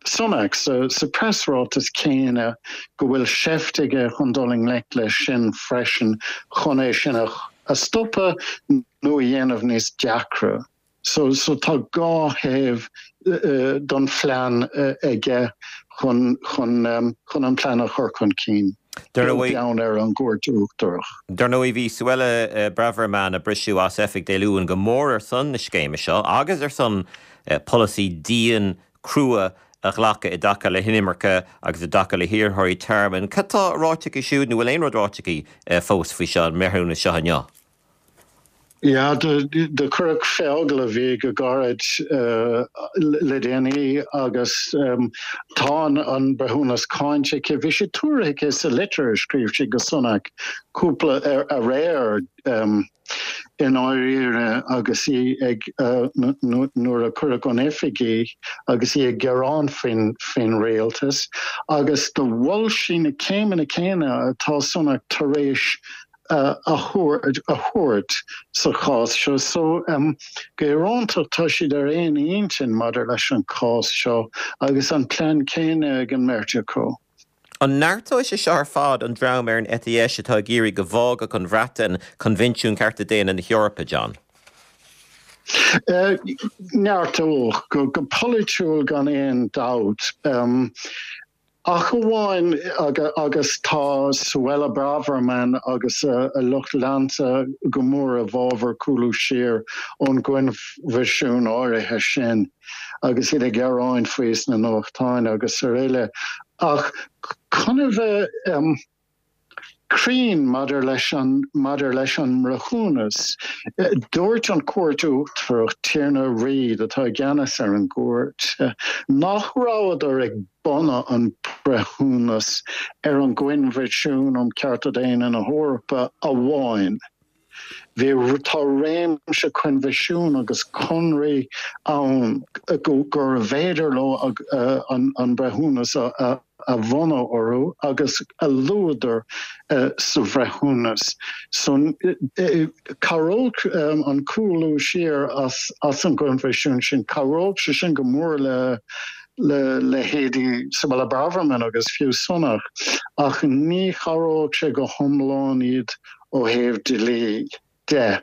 Sunak sa preasráiteas céanna go bhfuil seift aige chun dul i ngleic leis sin freisin chun é sin a stopadh nó a dhéanamh níos deacra. So tá dhá thaobh don phlean aige chun chun an plean a chur chun cinn, beag beann ar an gCúirt Uachtarach. Dar ndóigh, bhí Suella Braverman, a briseadh as oifig Dé Luain, go mór ar son na scéime seo agus ar son polasaí dian crua a ghlacadh i dtaca le hinimirce agus i dtaca le hiarrthóirí tearmainn. Cad tá ráite aici siúd, nó bhfuil aon rud ráite aici fós faoi seo, an mbreithiúnas seo inniu? Yeah, do cuireadh fé agallamh í go gairid le déanaí agus tá an breithiúnas cáinte aici. Bhí sé tuartha aici sa litir a scríobh sí go Sunak cúpla aréir i ndáiríre agus í ag nuair a cuireadh ón oifig í agus í ag gearán faoin faoin rialtas agus do mhol sí na céimeanna céanna atá Sunak tar éis a thabhairt sa chás seo. So go híorónta tá siad ar aon intinn maidir leis an chás seo agus an plean céanna ag an mbeirt acu. An neartóidh sé seo ar fad an dream ar an eite dheis atá ag iarraidh go bhfágfadh an Bhreatain Coinbhinsiún Cearta Daonna na hEorpa, John? Neartódh, go polaitiúil gan aon dabht. Ach amháin agus tá Suella Braverman agus a lucht leanta go mór i bhfabhar cúlú siar ón gcoinbhisiún áirithe sin agus iad ag gearán faoi sna nuachtáin agus araile. Ach chun a bheith cruinn maidir leis an maidir leis an mbreithiúnas, dúirt an Chúirt Uachtarach, Tiarna Reid, atá i gceannas ar an gcúirt, nach rabhadar ag bunú an breithiúnas ar an gCoinbhinsiún um Chearta Daonna na hEorpa amháin. Bhí, tá réimse coinbhisiún agus conraí ann gurbh fhéidir leo an breithiúnas a bhunú orthu agus a luadar sa bhreithiúnas. So cabhródh an cúlú siar as an gcoinbhisiún sin, cabhródh sé sin go mór le le leithéidí Suella Braverman agus fiú Sunak, ach ní chabhródh sé go hiomlán iad ó thaobh dlí de.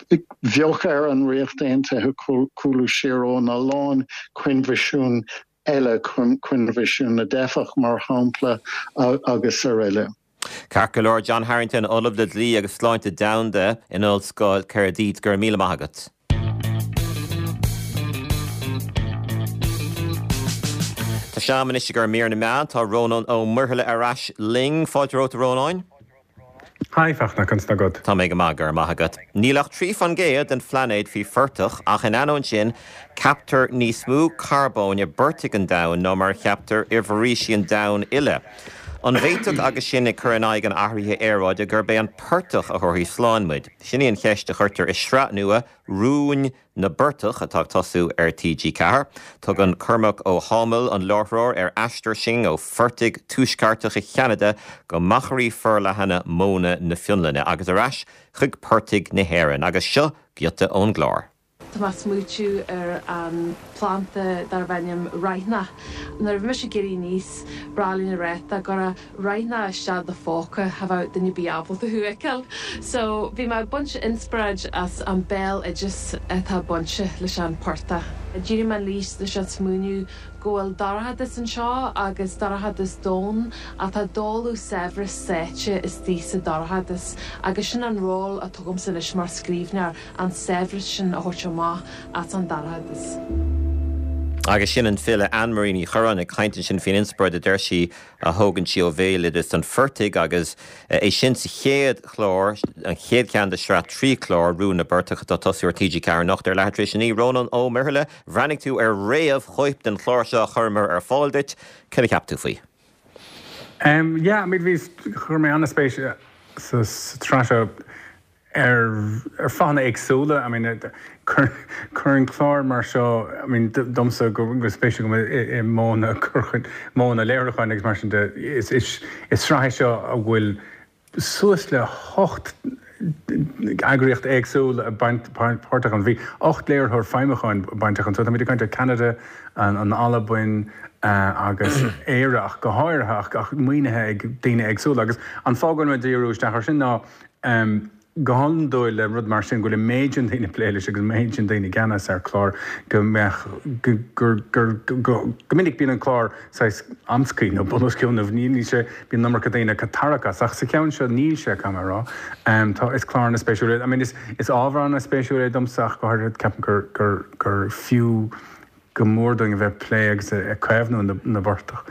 Bheadh ar an Ríocht Aontaithe cúlú siar óna lán coinbhisiún eile, Coinbhisiún na dTeifeach, mar shampla, agus araile. Ceart go leor, John Harrington, Ollamh le Dlí agus Sláinte Domhanda in Ollscoil Caerdydd, go raibh míle maith agat. Tá sé in am anois i gcomhair mír na meán. Tá Rónán Ó Muirthile ar ais linn. Fáilte romhat, a Rónáin. Hi Fachtna, conas tá agat? Tá mé go maith, go raibh maith agat. Níl ach trí faoin gcéad den phlainéad faoi phortach ach in ainneoin sin, ceaptar níos mó carbóin i bportaigh an domhain ná mar a cheaptar i bhforaoisí an domhain uile. An bhféadfadh, agus sinn ag cur in aghaidh an athraithe aeráide, gurb é an portach a thabharfaidh slán muid? Sin í an cheist a chuirtear i sraith nua, Rúin na bPortach, atá ag tosú ar T G ceathair. Tugann Cormac Ó hÁdhmaill, an láithreoir, ar aistear sinn ó phortaigh tuaisceartacha Cheanada go machairí forleathana móna na Fionlainne agus ar ais chuig portaigh na hÉireann. Agus seo giota ón gclár. Tá mé ag smaoitiú ar an planda darb ainm raithneach. Nuair a bhí mise ag éirí aníos, ba ghnách linn a rá dá gcuirfeá raithneach isteach i do phóca cha bheadh duine ar bith ábalta thú a fheiceáil. So bhí mé ag baint inspioráid as an béaloideas atá bainte leis an portach. D'éirigh mé aníos leis an smaoineamh go bhfuil dorchadas anseo agus dorchadas domhain ach tá dola saibhreas sáite istigh sa dorchadas agus sin an ról atá agamsa anois mar scríbhneoir, an saibhreas sin a thabhairt amach as an dorchadas. Agus sin an file Anne-Marie Ní Churráin ag caint ansin faoin inspioráid a deir sí a thógann sí ó bhéaloideas an phortaigh agus é sin sa chéad chlár, an chéad cheann de shraith trí chlár, Rún na bPortach atá ag tosú ar T G Ceathair anocht ar leathuair tar éis a naoi. Rónán Ó Muirthile, bhreathnaigh tú ar réamhchóip den chlár seo a chuireamar ar fáil duit. Céard a cheap tú faoi? Um, yeah, I mean, bhí chuir mé an-spéis sa tsraith seo ar ar fáthanna éagsúla. I mean, cuireann clár mar seo, I mean, domsa go go spéis agam i modhanna modhanna léiriúcháin agus mar sin de, is is is sraith seo a bhfuil suas le hocht eagraíocht éagsúil páirteach ann. Bhí ocht léiritheoir feidhmiúcháin bainteach ann. So táimid ag caint ar Canada, an an Albain agus Éire ach go háirithe ach ach maoinithe ag daoine éagsúla. Agus an fáth go bhfuil mé ag díriú isteach air sin ná um, go hiondúil le rud mar sin go bhfuil an méid sin daoine ag plé leis agus an méid sin daoine i gceannas ar chlár go mbeadh go gur gur go go minic bíonn an clár saghas amscaí nó bunoscionn nó níl sé bíonn an iomarca daoine ag tarrac as ach sa cheann seo níl sé caithfidh mé a rá. Um, tá is clár an-spéisiúil I mean, is, is ábhar an-spéisiúil é domsa ach go háirithe ceapaim gur gur gur fiú go mór dúinn a bheith plé agus ag caomhnú na, na bportach.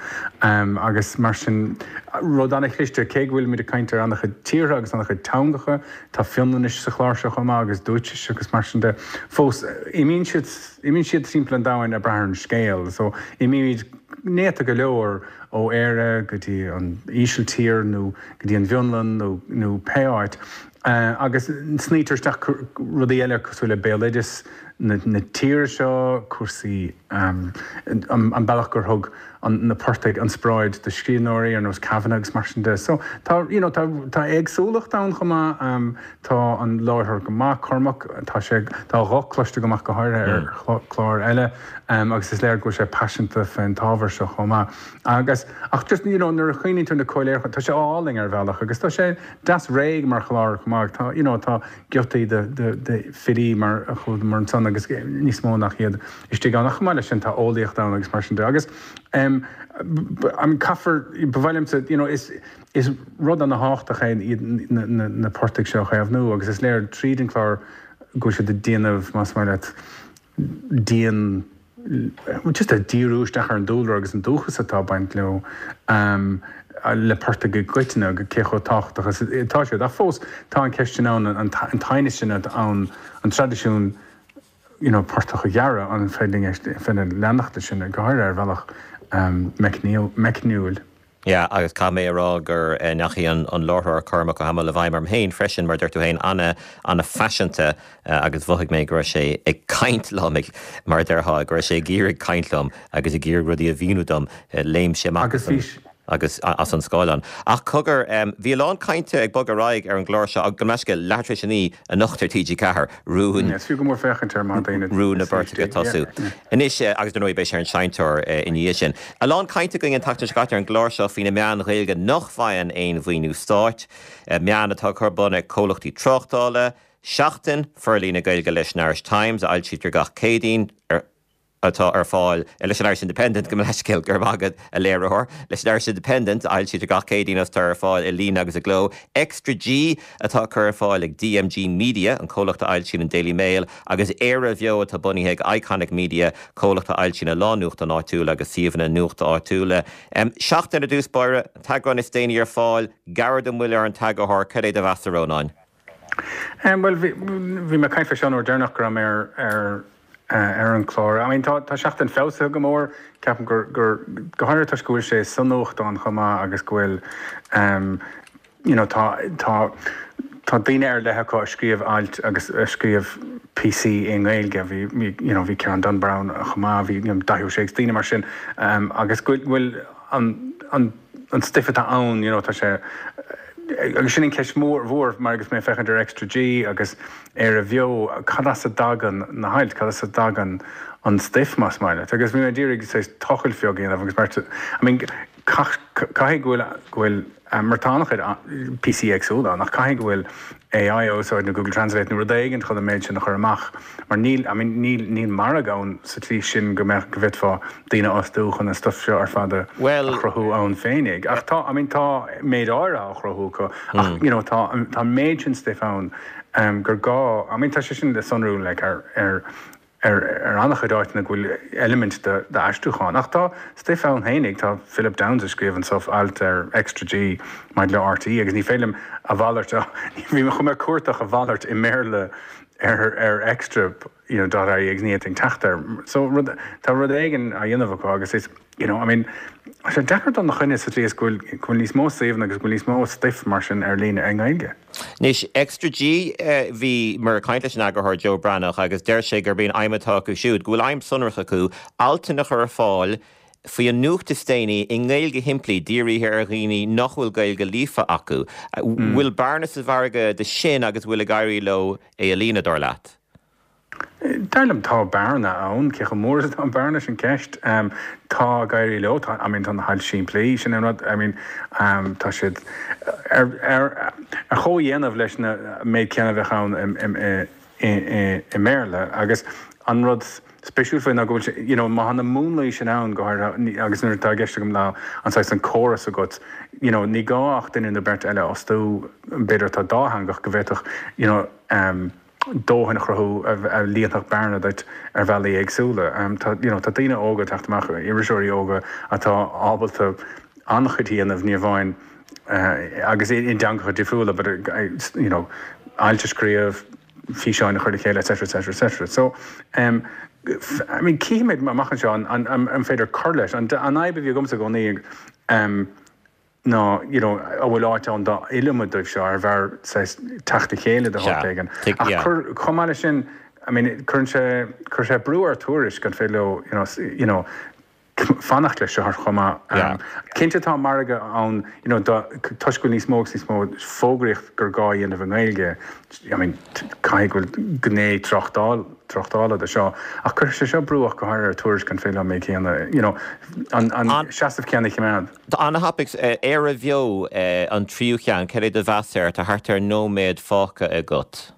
Um, agus mar sin rud an-chliste cé go bhfuil muid ag caint ar an-chuid tíortha agus an-chuid teangacha, tá Fionlainnis sa chlár seo chomh maith agus Dúitsis agus mar sin de. Fós imíonn siad imíonn siad timpeall an domhain ag brath ar an scéal, so imímid néata go leor ó Éire go dtí an Ísiltír nó go dtí an bhFionlainn nó, nó pé áit. Uh, agus snítear isteach rudaí eile cosúil le béaloideas na, na tíre seo, cúrsaí um, an, an bealach gur thug an, na portaigh inspioráid do scríbhneoirí ar nós Kavanagh agus mar sin de. So tá, you know, tá, tá éagsúlacht ann chomh maith, um, tá an láithreoir go maith Cormac, tá sé tá a ghuth cloiste go maith go háirithe ar chlár eile um, agus is léir go bhfuil sé paiseanta fén ábhar seo chomh maith. Agus ach just you know, nuair a chuimhníonn tú na comhléiriúcháin, tá sé álainn ar bhealach agus tá sé deas réidh mar chlár chomh maith. Tá, you know, tá giotaí de, de, de filí mar a chuaigh mar ansan agus níos mó nach iad istigh ann. Ach chomh maith leis sin tá eolaíocht ann agus mar sin de. Agus um, an caithfear ba mhaith liomsa, you know, is is rud an-tábhachtach é iad na, na, na portaigh seo a chaomhnú agus is léir tríd an chlár go bhfuil siad ag déanamh más maith leat dian just a díriú isteach ar an dúlra agus an dúchas atá ag baint leo um, le portaigh i gcoitinne go cé chomh tábhachtach is atá siad. Ach fós tá an ceist sin ann an an t-aighneas sin ann an traidisiún you know, portach a ghearradh an féidir féidir leanacht sin go háirithe ar bhealach um, meicniúil. Ja, agus caithfidh mé a rá gur eh, ndeachaigh an, an láithreoir Cormac Ó hAdhmaill i bhfeidhm orm féin freisin mar deir tú féin ana ana-phaiseanta uh, agus mhothaigh mé go raibh sé ag caint liom ag mar a déarfá go raibh sé ag iarraidh caint liom agus ag iarraidh rudaí a mhíniú dom uh, léim sé amach Agus as an- bhí agus as an scáileán. Ach cogar um, bhí a lán cainte ag bogadh ar aghaidh ar an gclár seo ag go meisce leathuair tar éis a naoi anocht ar T G Ceathair rún Is fiú go mór féachaint ar mar daoine. Rún na bPortach ag tosú. Anois eh, agus dar ndóigh beidh sé ar an seinnteoir eh, ina dhiaidh sin. A lán cainte againn an tseachtain seo caite ar an gclár seo faoi na meáin Ghaeilge nach bhfaigheann aon mhaoiniú stáit, eh, meáin atá curtha ar bun ag comhlachtaí tráchtála, Seachtain forlíonadh Gaeilge leis an Irish Times a fhoilsítear gach Céadaoin ar atá ar fáil leis an Irish Independent go leiscéil gur agad a léiritheoir, leis an Irish Independent fhoilsítear gach Céadaoin atá ar fáil i líne agus i gcló. Extra G atá curtha ar fáil ag D M G Media an comhlacht a fhoilsíonn an Daily Mail agus Éire Bheo atá bunaithe ag Iconic Media comhlacht a fhoilsíonn a lán nuachtán áitiúil agus suíomhanna nuachta áitiúla. Um, Seachtain ar dtús báire t-eagrán is déanaí ar fáil, gairid an mhoill ar an t-eagarthóir cad é do mheas a Rónáin. Um, well bhí bhí mé ag caint faoi an uair dheireanach go raibh mé ar ar ar an chlár. I mean, tá tá Seachtain feabhsaithe go mór ceapaim gur gur go háirithe toisc go bhfuil sé sa nuachtán chomh maith agus go bhfuil um, you know, tá tá tá daoine ar leith acu a scríobh ailt agus a scríobh píosaí i nGaeilge bhí you know, bhí Ciarán Dunne Browne chomh maith bhí you know, Daithí Ó Sé daoine mar sin um, agus go bhfuil an an an stuif atá ann you know, tá sé agus sin an ceist mór mhór mar agus mé féachaint ar Extra G agus Éire Bheo cad as a dtagann na hailt cad as a dtagann an stuif más maith leat agus bhí mé d'iarraidh tochailt beag a dhéanamh agus mar I mean caithfidh go bhfuil go bhfuil mar tá an-chuid píosaí éagsúla nach caithfidh go bhfuil A I á úsáid nó Google Translate nó rud éigin chun an méid sin a chur amach mar níl I mean, níl níl margadh ann sa tslí sin go mbeadh go bhféadfá daoine a fhostú chun an stuif seo ar fad a Well a chruthú ann féinig. Ach tá I mean, tá méid áirithe á chruthú acu ach you know, tá tá méid sin stuif ann um, gur gá I mean, tá sé sin le sonrú like, ar ar ar ar an-chuid áiteanna go bhfuil eilimint d'aistriúchán. Ach tá stuif ann fhéinig, tá Philip Downes ag scríobh anso alt ar Extra G maidir le R T E agus ní féidir liom a mhalairt, bhí mé chun mé cuardach a mhalairt i mBéarla ar ar Extra you know, dot I E agus ní fhéadfainn teacht air. So rud, tá rud éigin á dhéanamh acu agus is, you know, I mean, tá sé deacair dul ina choinne sa tslí is go bhfuil go bhfuil níos mó suíomhanna agus go bhfuil níos mó stuif mar sin ar líne i nGaeilge. Anois, Extra G, bhí mé ag caint leis an eagarthóir Joe Breathnach agus deir sé gurb í an aidhm atá acu siúd, go bhfuil aidhm sonrach acu, altanna a chur ar fáil faoi an nuacht is déanaí i nGaeilge shimplí, dírithe ar dhaoine nach bhfuil Gaeilge líofa acu. Bhfuil bearna sa mhargadh de sin agus bhfuil ag éirí leo é a líonadh, dar leat? Dar liom tá bearna ann, cé chomh mór is atá an bearna sin ceist. Tá ag éirí leo, tá, I mean tá na hailt simplí, sin an rud, I mean tá siad ar ar ar chomhdhéanamh leis na méid céanna a bheadh ann i i i mBéarla agus an rud spéisiúil faoi ná go bhfuil sé, you know má tá na múnlaí sin ann go háirithe agus nuair atá i gceist agam ná an saghas an córas agat, you know ní gá ach duine nó beirt eile a fhostú b'fhéidir atá dátheangach go bhféadfadh, you know, dóthain a chruthú a líonfadh bearna duit ar bhealaí éagsúla. Tá you know tá daoine óga ag teacht amach, iriseoirí óga atá ábalta an-chuid a dhéanamh, ní amháin agus i dteangacha difriúla but you know ailt a scríobh, físeáin a chur le chéile et cetera et cetera et cetera. So um, I mean cífimid amach anseo an, an, an féidir cur leis. An, an fhadhb a bhí agamsa i gcónaí um, ná you know an bhfuil áit ann dá iliomad dóibh seo ar bhear saghas teacht le chéile de shórt éigin. Ach cur, chomh maith leis sin, I mean cuireann sé, cuireann sé brú ar Tuairisc an féidir leo you know, you know fanacht leis seo chomh maith. Um, cinnte tá margadh ann you know, do, toisc go bhfuil níos mó agus níos mó fógraíocht gur gá a dhéanamh i nGaeilge, I mean caithfidh go bhfuil gné tráchtáil, tráchtála de seo, ach cuirfidh sé seo brú ach go háirithe ar Tuairisc an féidir leo an méid céanna, you know, an, an seasamh céanna a choimeád. Tá an-thapaidh, Éire Bheo an tríú ceann, cad é do mheas air? Tá thart ar nóiméad fágtha agat.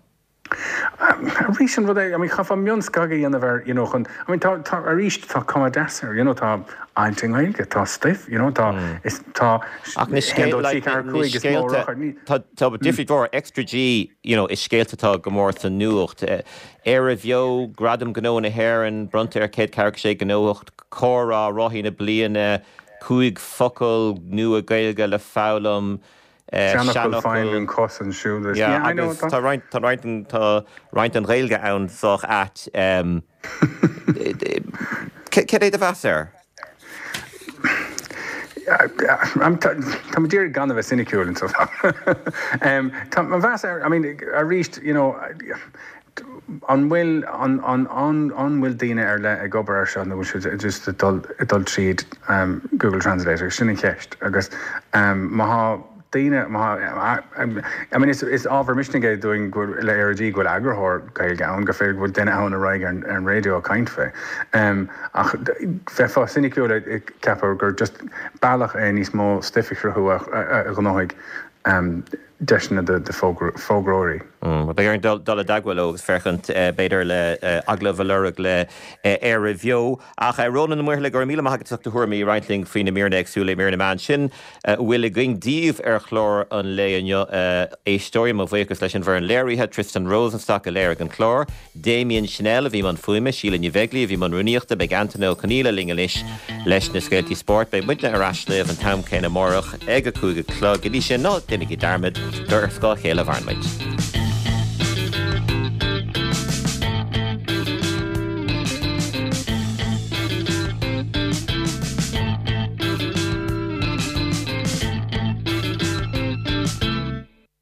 Arís an rud é, I mean chaithfeá mionscagadh a dhéanamh air, you know, chun, I mean tá, tá, arís tá cuma deas air, you know, tá ailt i nGaeilge, tá stuif, you know, tá, is, tá Ach na haon, dó, trí, ceathair, cúig is mó scéalta, ní. tá, tá difríocht mhór, Extra G, you know, is scéalta atá go mór sa nuacht. Éire Bheo, Gradam Gnó na hÉireann, bronnta ar céad ceathracha sé gnólacht, comhrá, rothaí na bliana, cúig focal nua Gaeilge le foghlaim, seanfhocal fine an cos an siúl is, yeah, I know, agus tá roinnt, tá roinnt, tá roinnt den Ghaeilge ann sách ait. Cad é do mheas air? Tá mé d'iarraidh gan a bheith soiniciúil anseo. Tá mo mheas air, I mean, arís, you know, an bhfuil, an, an, an, an bhfuil daoine ar leith ag obair air seo nó bhfuil siad just ag dul, ag dul tríd Google Translate agus sin an cheist agus má thá daoine, má thá, I mean, is, is ábhar misnigh é dúinn go bhfuil, le Éire G go bhfuil eagarthóir Gaeilge ann, gur féidir go bhfuil duine ann a raghaidh ar, ar an raidió ag caint fé. Ach bheifeá soiniciúil ag ceapadh gur just bealach é níos mó stuif a chruthú a, a, a ghnóthaigh deiseanna do fógróirí. Beidh orainn dul i dteagmháil leo agus féachaint b'fhéidir le agallamh a lorg le Éire Bheo. Ach Rónán Ó Muirthile, go raibh míle maith agat as ucht do thuairimí a roinnt linn faoi na míreanna éagsúla i mír na meán. Sin a bhfuil againn daoibh ar chlár an lae inniu. A éisteoirí, mo bhuíochas leis an bhfoireann léirithe, Tristan Rosenstock a léirigh an clár, Damien Chanel a bhí i mbun fuaime, Síle Ní Bheaglaoí a bhí i mbun rúnaíochta. Beidh Antaine Ó Conghaile linn anois leis na scéaltaí spóirt. Beidh muidne ar ais libh an t-am céanna amárach ag a cúig a chlog. Go dtí sin, ná déanaigí dearmad gur ar scáth a chéile a mhaireann muid.